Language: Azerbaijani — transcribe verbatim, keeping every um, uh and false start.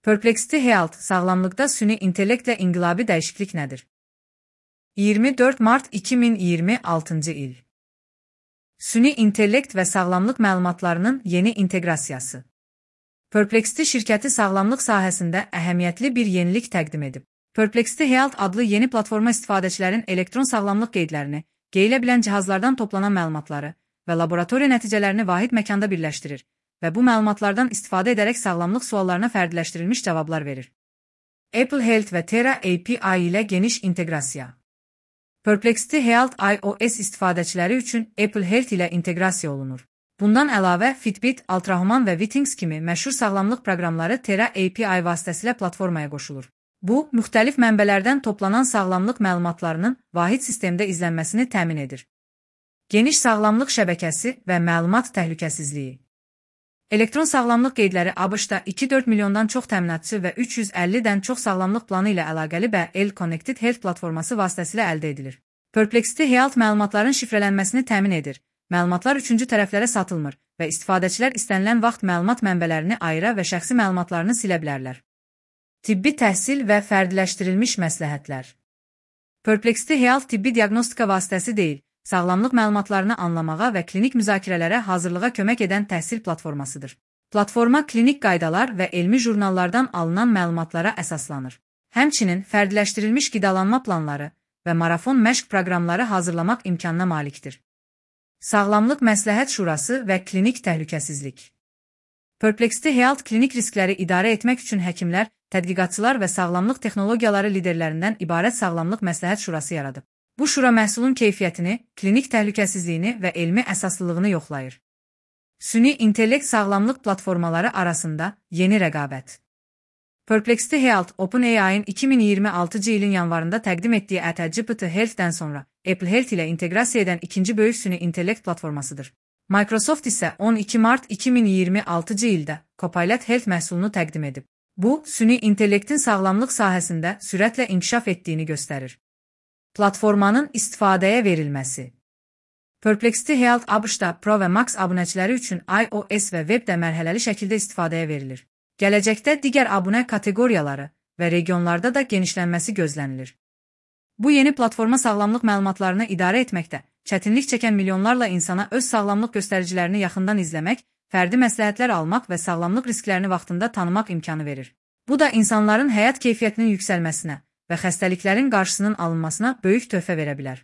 Perplexity Health, sağlamlıqda süni intellektlə inqilabi dəyişiklik nədir? iyirmi dörd mart iki min iyirmi altıncı il. Süni intellekt və sağlamlıq məlumatlarının yeni inteqrasiyası. Perplexity şirkəti sağlamlıq sahəsində əhəmiyyətli bir yenilik təqdim edib. Perplexity Health adlı yeni platforma istifadəçilərin elektron sağlamlıq qeydlərini, geyilə bilən cihazlardan toplanan məlumatları və laboratoriya nəticələrini vahid məkanda birləşdirir və bu məlumatlardan istifadə edərək sağlamlıq suallarına fərdiləşdirilmiş cavablar verir. Apple Health və Terra A P I ilə geniş inteqrasiya. Perplexity Health iOS istifadəçiləri üçün Apple Health ilə inteqrasiya olunur. Bundan əlavə, Fitbit, Ultrahuman və Withings kimi məşhur sağlamlıq proqramları Terra A P I vasitəsilə platformaya qoşulur. Bu, müxtəlif mənbələrdən toplanan sağlamlıq məlumatlarının vahid sistemdə izlənməsini təmin edir. Geniş sağlamlıq şəbəkəsi və məlumat təhlükəsizliyi. Elektron sağlamlıq qeydləri ABŞ-da iki nöqtə dörd milyondan çox təminatçı və üç yüz əllidən çox sağlamlıq planı ilə əlaqəli B L Connected Health platforması vasitəsilə əldə edilir. Perplexity Health məlumatların şifrələnməsini təmin edir. Məlumatlar üçüncü tərəflərə satılmır və istifadəçilər istənilən vaxt məlumat mənbələrini ayıra və şəxsi məlumatlarını silə bilərlər. Tibbi təhsil və fərdiləşdirilmiş məsləhətlər. Perplexity Health tibbi diaqnostika vasitəsi deyil, sağlamlıq məlumatlarını anlamağa və klinik müzakirələrə hazırlığa kömək edən təhsil platformasıdır. Platforma klinik qaydalar və elmi jurnallardan alınan məlumatlara əsaslanır. Həmçinin fərdiləşdirilmiş qidalanma planları və marafon məşq proqramları hazırlamaq imkanına malikdir. Sağlamlıq Məsləhət Şurası və klinik təhlükəsizlik. Perplexity Health klinik riskləri idarə etmək üçün həkimlər, tədqiqatçılar və sağlamlıq texnologiyaları liderlərindən ibarət Sağlamlıq Məsləhət Şurası yaradıb. Bu şura məhsulun keyfiyyətini, klinik təhlükəsizliyini və elmi əsaslılığını yoxlayır. Süni intellekt sağlamlıq platformaları arasında yeni rəqabət. Perplexity Health, OpenAI-in iki min iyirmi altıncı ilin yanvarında təqdim etdiyi ChatGPT Health-dən sonra Apple Health ilə inteqrasiya edən ikinci böyük süni intellekt platformasıdır. Microsoft isə on iki mart iki min iyirmi altıncı ildə Copilot Health məhsulunu təqdim edib. Bu, süni intellektin sağlamlıq sahəsində sürətlə inkişaf etdiyini göstərir. Platformanın istifadəyə verilməsi. Perplexity Health ABŞ-da Pro və Max abunəçiləri üçün iOS və webdə mərhələli şəkildə istifadəyə verilir. Gələcəkdə digər abunə kateqoriyaları və regionlarda da genişlənməsi gözlənilir. Bu yeni platforma sağlamlıq məlumatlarını idarə etməkdə çətinlik çəkən milyonlarla insana öz sağlamlıq göstəricilərini yaxından izləmək, fərdi məsləhətlər almaq və sağlamlıq risklərini vaxtında tanımaq imkanı verir. Bu da insanların həyat keyfiyyətinin yüksəlməsinə və xəstəliklərin qarşısının alınmasına böyük töhfə verə bilər.